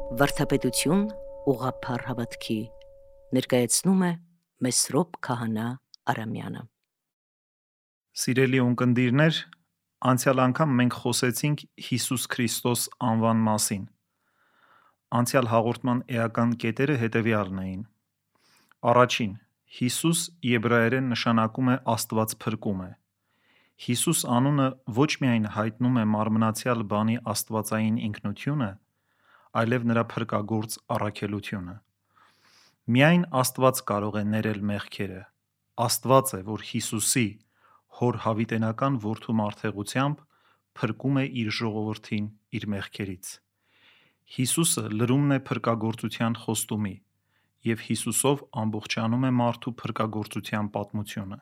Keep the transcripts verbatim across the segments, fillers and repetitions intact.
Վարդապետություն ուղղափառ հավատքի ներկայացնում է Մեսրոպ Քահանա Արամյանը։ Սիրելի ունկնդիրներ, անցյալ անգամ մենք խոսեցինք Հիսուս Քրիստոս անվան մասին։ Անցյալ հաղորդման էական կետերը հետևյալն էին. Առաջին, Հիսուս եբրայերեն նշանակում է Աստված փրկում է։ Հիսուս անունը ոչ միայն հայտնում է մարմնացյալ բանի աստվածային ինքնությունը, այլև նրա փրկագործ առաքելությունը։ Միայն Աստված կարող է ներել մեղքերը։ Աստված է, որ Հիսուսի հոր հավիտենական որդու մարդեղությամբ փրկում է իր ժողովրդին իր մեղքերից։ Հիսուսը լրումն է փրկագործության խոստումի, և Հիսուսով ամբողջանում է մարդու փրկագործության պատմությունը։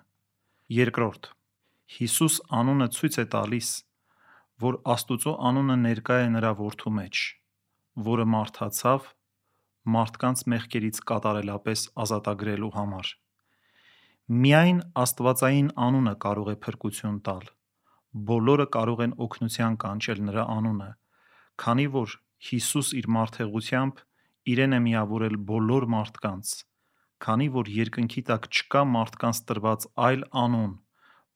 Երկրորդ, Հիսուս անունը ցույց է տալիս, որ Աստուծո անունը ներկա է նրա որդու մեջ, որը մարդացավ մարդկանց մեղքերից կատարելապես ազատագրելու համար։ Միայն աստվածային անունը կարող է փրկություն տալ։ Բոլորը կարող են օգնության կանչել նրա անունը, քանի որ Հիսուս իր մարդեղությամբ իրեն է միավորել բոլոր մարդկանց, քանի որ երկնքի տակ չկա մարդկանց տրված այլ անուն,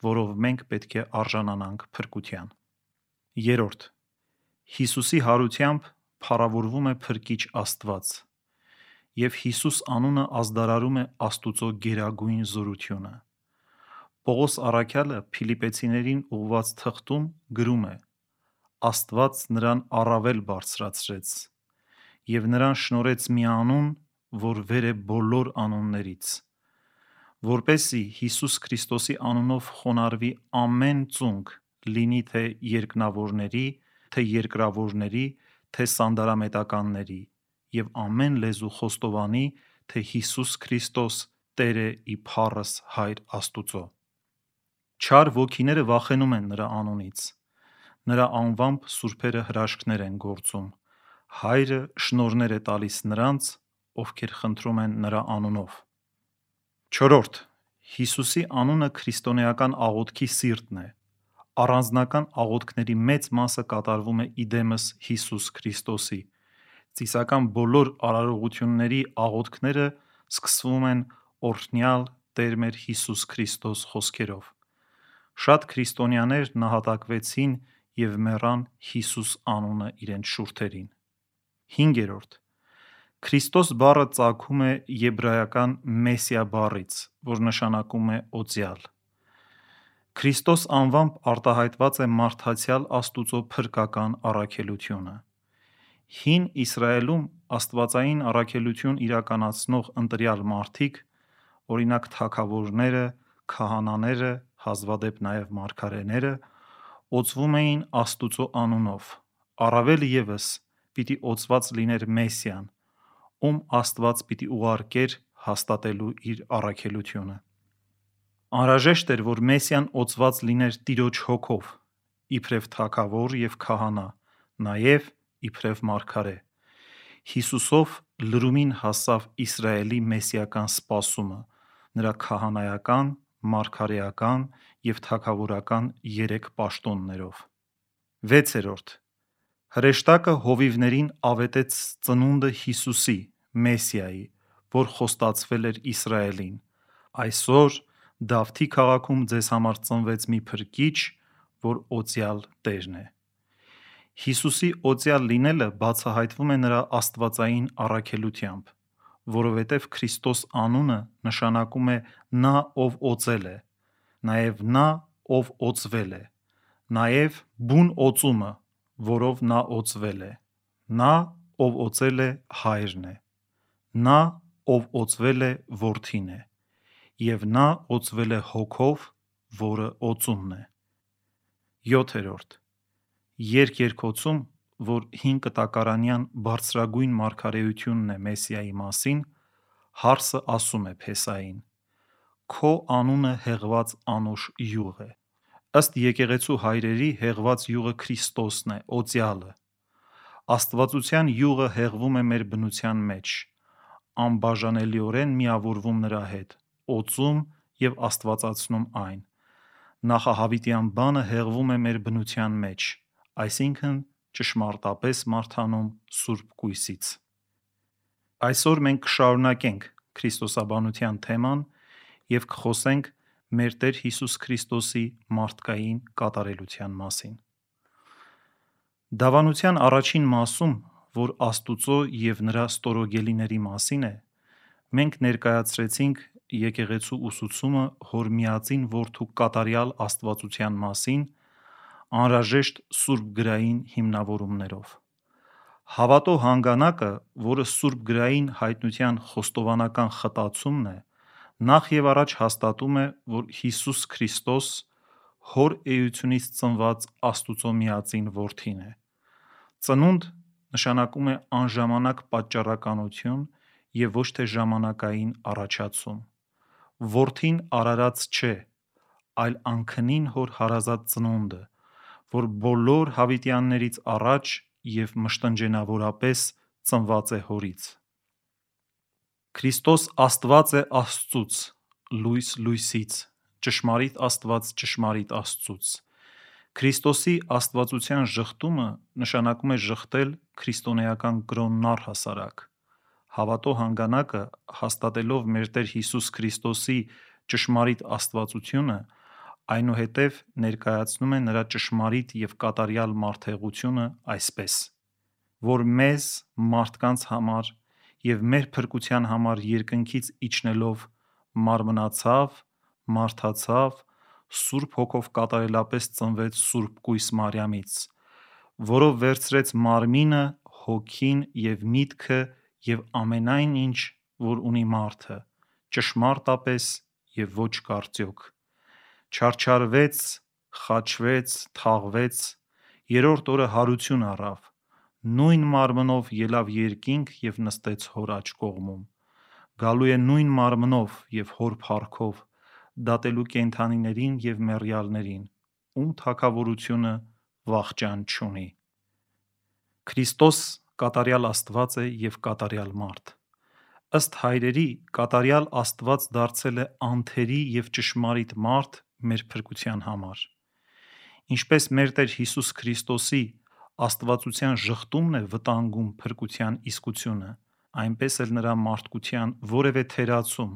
որով մենք պետք է արժանանանք փրկության։ Երրորդ, Հիսուսի հարությամբ փառավորվում է Փրկիչ Աստված, և Հիսուս անունը ազդարարում է Աստուծո գերագույն զորությունը։ Պողոս առաքյալը Փիլիպպեցիներին ուղղված թղթում գրում է. «Աստված նրան առավել բարձրացրեց և նրան շնորհեց մի անուն, որ վեր է բոլոր անուններից, որպեսզի Հիսուս Քրիստոսի անունով խոնարհվի ամեն ծունկ, լինի թե երկնավորների, թե երկրավորների, թե սանդարամետականների, և ամեն լեզու խոստովանի, թե Հիսուս Քրիստոս Տեր է ի փառս Հայր Աստուծո»։ Չար ոգիները վախենում են նրա անունից։ Նրա անվամբ սուրբերը հրաշքներ են գործում։ Հայրը շնորհներ է տալիս նրանց, ովքեր խնդրում են նրա անունով։ Չորրորդ, Հիսուսի անունը քրիստոնեական աղոթքի սիրտն է։ Առանձնական աղոթքների մեծ մասը կատարվում է իդեմս Հիսուս Քրիստոսի։ Ծիսական բոլոր արարողությունների աղոթքները սկսվում են օրհնյալ Տեր մեր Հիսուս Քրիստոս խոսքերով։ Շատ քրիստոնյաներ նահատակվեցին և մեռան Հիսուս անունը իրենց շուրթերին։ Հինգերորդ, Քրիստոս բառը ծագում է եբրայական Մեսիա բառից, որ նշանակում է օծյալ։ Քրիստոս անվամբ արտահայտված է մարդացյալ Աստուծո փրկական առաքելությունը։ Հին Իսրայելում աստվածային առաքելություն իրականացնող ընտրյալ մարդիկ, օրինակ թագավորները, քահանաները, հազվադեպ նաև մարգարեները, օծվում էին Աստուծո անունով, առավել ևս պիտի օծված լիներ Մեսիան, ում Աստված պիտի ուղարկեր հաստատելու իր առաքելությունը։ Անհրաժեշտ էր, որ Մեսիան օծված լիներ Տիրոջ հոգով, իբրև թագավոր և քահանա, նաև իբրև մարգարե։ Հիսուսով լրումին հասավ Իսրայելի մեսիական սպասումը նրա քահանայական, մարգարեական և թագավորական երեք պաշտոններով։ Վեցերորդ, հրեշտակը հովիվներին ավետեց ծնունդը Հիսուսի, Մեսիայի, որ խոստացվել էր Իսրայելին. «Այսօր Դավթի քաղաքում ձեզ համար ծնվեց մի Փրկիչ, որ օծյալ Տերն է»։ Հիսուսի օծյալ լինելը բացահայտվում է նրա աստվածային առաքելությամբ, որովհետև Քրիստոս անունը նշանակում է նա, ով օծել է, նաև նա, ով օծվել է, նաև բուն օծումը, որով նա օծվել է, նա, ով օծել է, Հայրն է, նա, ով օծվել է, Որդին է, և նա օծվել է Հոգով, որը օծումն է։ Յոթերորդ, երկերկոցում, որ հինկտակարանյան բարձրագույն մարգարեությունն է Մեսիայի մասին, հարսը ասում է Փեսային. «Քո անունը հեղված անուշ յուղ է»։ Ըստ եկեղեցու հայրերի հեղված յուղը Քրիստոսն է, օծյալը։ Աստվածության յուղը հեղվում է մեր բնության մեջ, անբաժանելիորեն միավորվում նրա հետ, օծում և աստվածացնում այն։ Նախահավիտյան բանը հեղվում է մեր բնության մեջ, այսինքն ճշմարտապես մարդանում Սուրբ Կույսից։ Այսօր մենք կշարունակենք քրիստոսաբանության թեման և կխոսենք մեր Տեր Հիսուս Քրիստոսի մարդկային կատարելության մասին։ Դավանության առաջին մասում, որ Աստուծո և նրա ստորոգելիների մասին է, մենք ներկայացրեցինք եկեղեցու ուսուցումը Հոր Միածին Որդու կատարյալ աստվածության մասին անհրաժեշտ սուրբգրային հիմնավորումներով։ Հավատո հանգանակը, որը սուրբգրային հայտնության խոստովանական խտացումն է, նախ և առաջ հաստատում է, որ Հիսուս Քրիստոս Հոր էությունից ծնված Աստուծո Միածին Որդին է։ Ծնունդ նշանակում է անժամանակ պատճառականություն և ոչ թե ժամանակային առաջացում։ Որդին արարած չէ, այլ անքնին Հոր հարազատ ծնունդը, որ բոլոր հավիտյաններից առաջ և մշտնջենավորապես ծնված է Հորից։ Քրիստոս Աստված է Աստծուց, լույս լույսից, ճշմարիտ Աստված ճշմարիտ Աստծուց։ Քրիստոսի աստվածության ժխտումը նշանակում է ժխտել քրիստոնեական կրոնն առհասարակ։ Հավատո հանգանակը, հաստատելով մեր Տեր Հիսուս Քրիստոսի ճշմարիտ աստվածությունը, այնուհետև ներկայացնում է նրա ճշմարիտ և կատարյալ մարդեղությունը այսպես, որ մեզ մարդկանց համար և մեր փրկության համար երկնքից իջնելով մարմնացավ, մարդացավ, Սուրբ Հոգով կատարելապես ծնվեց Սուրբ Կույս Մարիամից, որով վերցրեց մարմինը, հոգին և միտքը և ամենայն ինչ, որ ունի մարդը, ճշմարտապես և ոչ կարծոք, չարչարվեց, խաչվեց, թաղվեց, երրորդ օրը հարություն առավ, նույն մարմնով ելավ երկինք և նստեց Հոր աջ կողմում, գալու է նույն մարմնով և Հոր փառքով, դատելու կենդանիներին և մեռյալներին, ում թագավորությունը վախճան չունի։ Քրիստոս կատարյալ Աստված է և կատարյալ մարդ։ Ըստ հայրերի, կատարյալ Աստված դարձել է անթերի և ճշմարիտ մարդ մեր փրկության համար։ Ինչպես մեր Տեր Հիսուս Քրիստոսի աստվածության ժխտումն է վտանգում փրկության իսկությունը, այնպես էլ նրա մարդկության որևէ թերացում,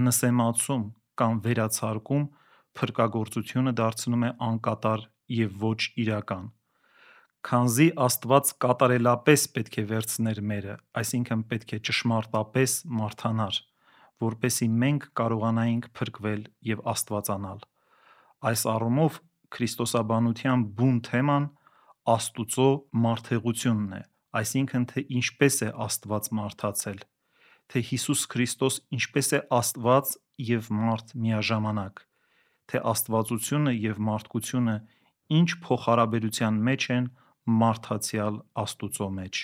նսեմացում կամ վերացարկում փրկագործությունը դարձնում է անկատար և ոչ իրական։ Քանզի Աստված կատարելապես պետք է վերցներ մերը, այսինքն պետք է ճշմարտապես մարդանար, որպեսզի մենք կարողանայինք փրկվել և աստվածանալ։ Այս առումով քրիստոսաբանության բուն թեման Աստուծո մարդեղությունն է, այսինքն թե ինչպես է Աստված մարդացել, թե Հիսուս Քրիստոս ինչպես է Աստված և մարդ միաժամանակ, թե աստվածությունը և մարդկությունը ինչ փոխհարաբերության մեջ են մարդացյալ Աստուծո մեջ։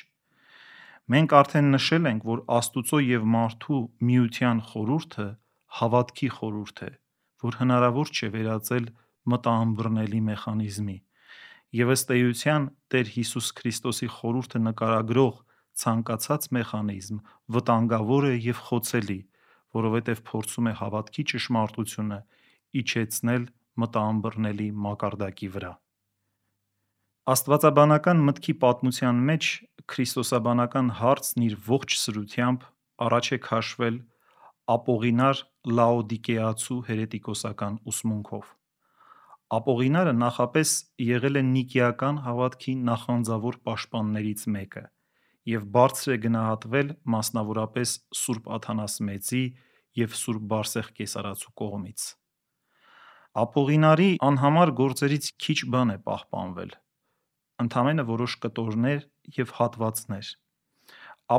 Մենք արդեն նշել ենք, որ Աստուծո և մարդու միության խորհուրդը հավատքի խորհուրդ է, որ հնարավոր չէ վերածել մտաըմբռնելի մեխանիզմի, և ըստ էության Տեր Հիսուս Քրիստոսի խորհուրդը նկարագրող ցանկացած մեխանիզմ վտանգավոր է և խոցելի, որովհետև փորձում է հավատքի ճշմարտությունը իջեցնել մտաըմբռնելի մակարդակի վրա։ Աստվածաբանական մտքի պատմության մեջ քրիստոսաբանական հարցն իր ողջ սրությամբ առաջ է քաշվել ապողինար լաոդիկեացու հերետիկոսական ուսմունքով։ Ապողինարը նախապես եղել է նիկեական հավատքի նախանձավոր պաշտպաններից մեկը և բարձր է գնահատվել մասնավորապես Սուրբ Աթանաս Մեծի և Սուրբ Բարսեղ Կեսարացու կողմից։ Ապողինարի անհամար գործերից քիչ բան է պահպանվել, ընդամենը որոշ կտորներ և հատվածներ։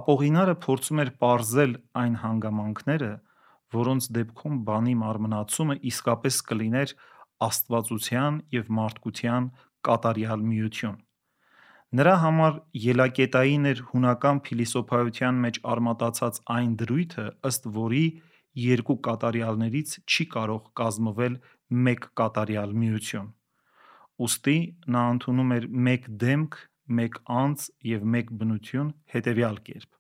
Ապողինարը փորձում էր պարզել այն հանգամանքները, որոնց դեպքում բանի մարմնացումը իսկապես կլիներ աստվածության և մարդկության կատարյալ միություն։ Նրա համար ելակետային էր հունական փիլիսոփայության մեջ արմատացած այն դրույթը, ըստ որի երկու կատարյալներից չի կարող կազմվել մեկ կատարյալ միություն։ Ուստի նա ընդունում էր մեկ դեմք, մեկ անձ և մեկ բնություն հետևյալ կերպ.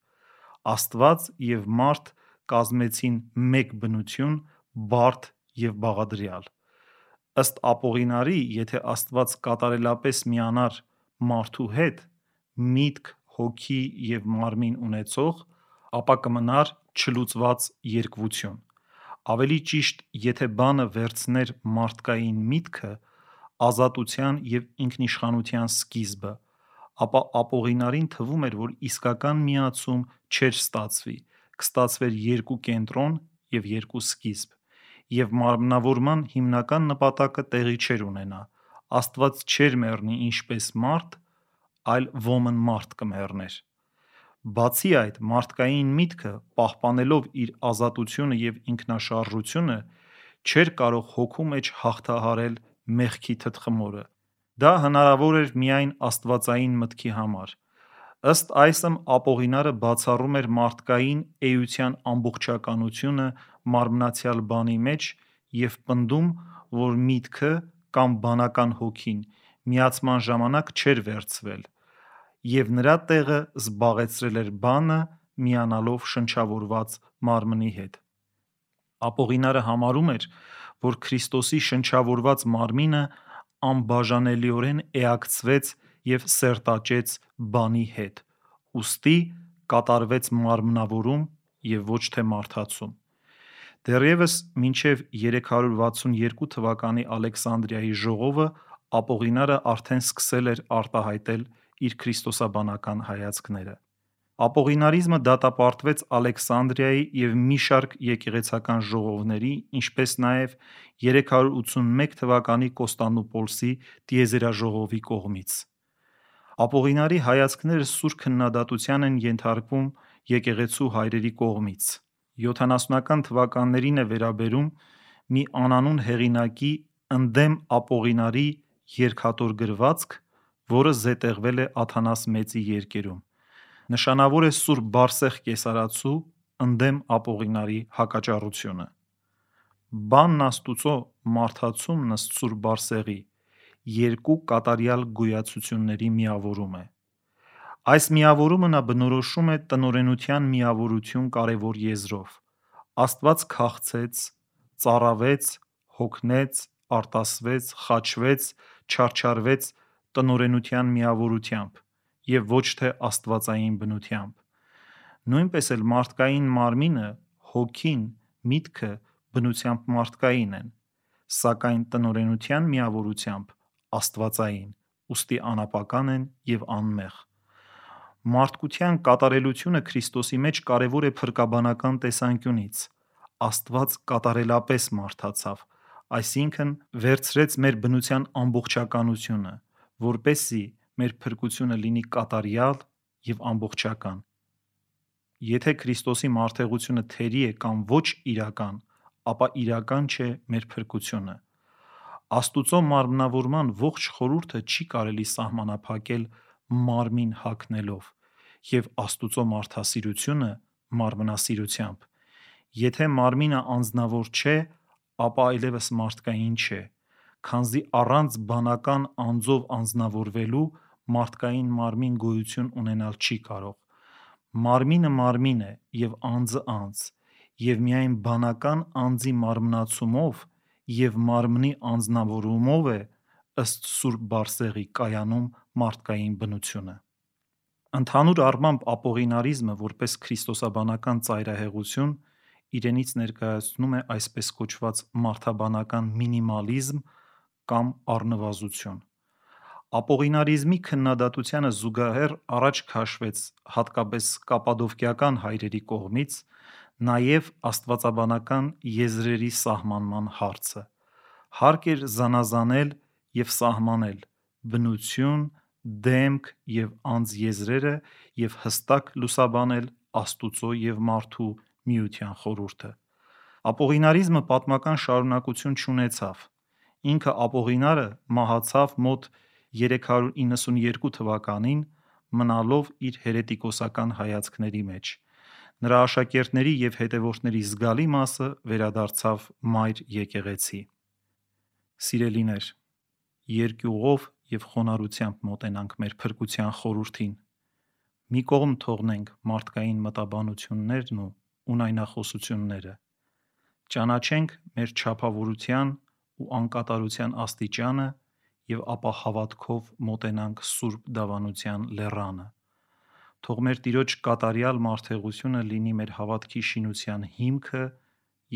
Աստված և մարդ կազմեցին մեկ բնություն՝ բարդ և բաղադրյալ։ Ըստ Ապողինարի, եթե Աստված կատարելապես միանար մարդու հետ միտք, հոգի և մարմին ունեցող, ապա կմնար չլուծված երկվություն։ Ավելի ճիշտ, եթե բանը վերցներ մարդկային միտքը, ազատության և ինքնիշխանության սկիզբը, ապա ապօղինարին թվում էր, որ իսկական միացում չէր ստացվի, կստացվեր երկու կենտրոն և երկու սկիզբ, և մարմնավորման հիմնական նպատակը տեղի չէր ունենա։ Աստված չէր մեռնի ինչպես մարդ, այլ ոմն մարդ կմեռներ։ Բացի այդ, մարդկային միտքը, պահպանելով իր ազատությունը և ինքնաշարժությունը, չէր կարող հոգու մեջ հաղթահարել մեղքի թրթխմորը։ Դա հնարավոր էր միայն աստվածային մտքի համար։ Ըստ այսմ ապօղինարը բացառում էր մարդկային էության ամբողջականությունը մարմնացյալ բանի մեջ և պնդում, որ միտքը կամ բանական հոգին միացման ժամանակ չէր վերցվել, և նրա տեղը զբաղեցրել էր բանը՝ միանալով շնչավորված մարմնի հետ։ Ապօղինարը համարում էր, որ Քրիստոսի շնչավորված մարմինը անբաժանելիորեն էակցվեց և սերտաճեց բանի հետ, ուստի կատարվեց մարմնավորում և ոչ թե մարդացում։ Դեռևս մինչև երեք հարյուր վաթսուն երկու թվականի Ալեքսանդրիայի ժողովը ապօղինարը արդեն սկսել էր արտահայտել իր քրիստոսաբանական հայացքները։ Ապօղինարիզմը դատապարտվեց Ալեքսանդրիայի և մի շարք եկեղեցական ժողովների, ինչպես նաև երեք հարյուր ութսունմեկ թվականի Կոստանդնուպոլսի տիեզերաժողովի կողմից։ Ապօղինարի հայացքները սուր քննադատության են ենթարկվում եկեղեցու հայրերի կողմից։ յոթանասունական թվականներին է վերաբերում մի անանուն հեղինակի «Ընդդեմ ապօղինարի» երկաթոր գրվածք, որը զետեղվել է Աթանաս Մեծի երկերում։ Նշանավոր է սուրբ Բարսեղ կեսարացու ընդդեմ ապօղինարի հակաճառությունը։ Բանն Աստուծո մարդացումն ըստ սուրբ Բարսեղի երկու կատարյալ գոյացությունների միավորում է։ Այս միավորումը նա բնորոշում է տնօրենության միավորություն կարևոր եզրով։ Աստված քաղցեց, ծառավեց, հոգնեց, արտասվեց, խաչվեց, չարչարվեց տնօրենության միավորությամբ և ոչ թե աստվածային բնությամբ։ Նույնպես էլ մարդկային մարմինը, հոգին, միտքը բնությամբ մարդկային են, սակայն տնօրենության միավորությամբ աստվածային, ուստի անապական են և անմեղ։ Մարդկության կատարելությունը Քրիստոսի մեջ կարևոր է փրկաբանական տեսանկյունից։ Աստված կատարելապես մարդացավ, այսինքն վերցրեց մեր բնության ամբողջականությունը, որպեսզի մեր փրկությունը լինի կատարյալ և ամբողջական։ Եթե Քրիստոսի մարդեղությունը թերի է կամ ոչ իրական, ապա իրական չէ մեր փրկությունը։ Աստուծո մարմնավորման ողջ խորհուրդը չի կարելի սահմանափակել մարմին հագնելով և Աստուծո մարդասիրությունը մարմնասիրությամբ։ Եթե մարմինը անձնավոր չէ, ապա այլևս մարդկային չէ, քանզի առանց բանական անձով անձնավորվելու մարդկային մարմին գոյություն ունենալ չի կարող։ Մարմինը մարմին է և անձը անձ, և միայն բանական անձի մարմնացումով և մարմնի անձնավորումով է, ըստ սուրբ Բարսեղի, կայանում մարդկային բնությունը։ Ընդհանուր առմամբ ապօղինարիզմը, որպես քրիստոսաբանական ծայրահեղություն, իրենից ներկայացնում է այսպես կոչված մարդաբանական մինիմալիզմ կամ առնվազնություն։ Ապօղինարիզմի քննադատությանը զուգահեռ առաջ քաշվեց հատկապես կապադովկիական հայրերի կողմից նաև աստվածաբանական եզրերի սահմանման հարցը։ Հարկ էր զանազանել և սահմանել բնություն, դեմք և անձ եզրերը և հստակ լուսաբանել Աստուծո և մարդու միության խորհուրդը։ Ապօղինարիզմը պատմական շարունակություն չունեցավ։ Ինքը ապօղինարը մահացավ մոտ երեք հարյուր իննսունյերկու թվականին՝ մնալով իր հերետիկոսական հայացքների մեջ։ Նրա աշակերտների և հետևորդների զգալի մասը վերադարձավ մայր եկեղեցի։ Սիրելիներ, երկյուղով և խոնարհությամբ մոտենանք մեր փրկության խորհրդին։ Մի կողմ թողնենք մարդկային մտաբանություններն ու ունայնախոսությունները։ Ճանաչենք մեր չափավորության ու անկատարության աստիճանը եւ ապա հավատքով մոտենանք Սուրբ Դավանության լեռանը։ Թող մեր Տիրոջ կատարյալ մարդեղությունը լինի մեր հավատքի շինության հիմքը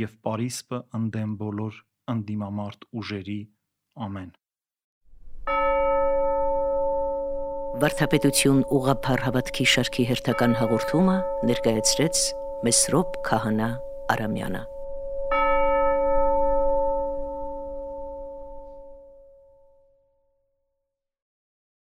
եւ պարիսպը ընդդեմ բոլոր ընդդիմամարտ ուժերի։ Ամեն։ Վարդապետություն ուղղափառ հավատքի շարքի հերթական հաղորդումը ներկայացրեց Մեսրոպ Քահանա Արամյանը։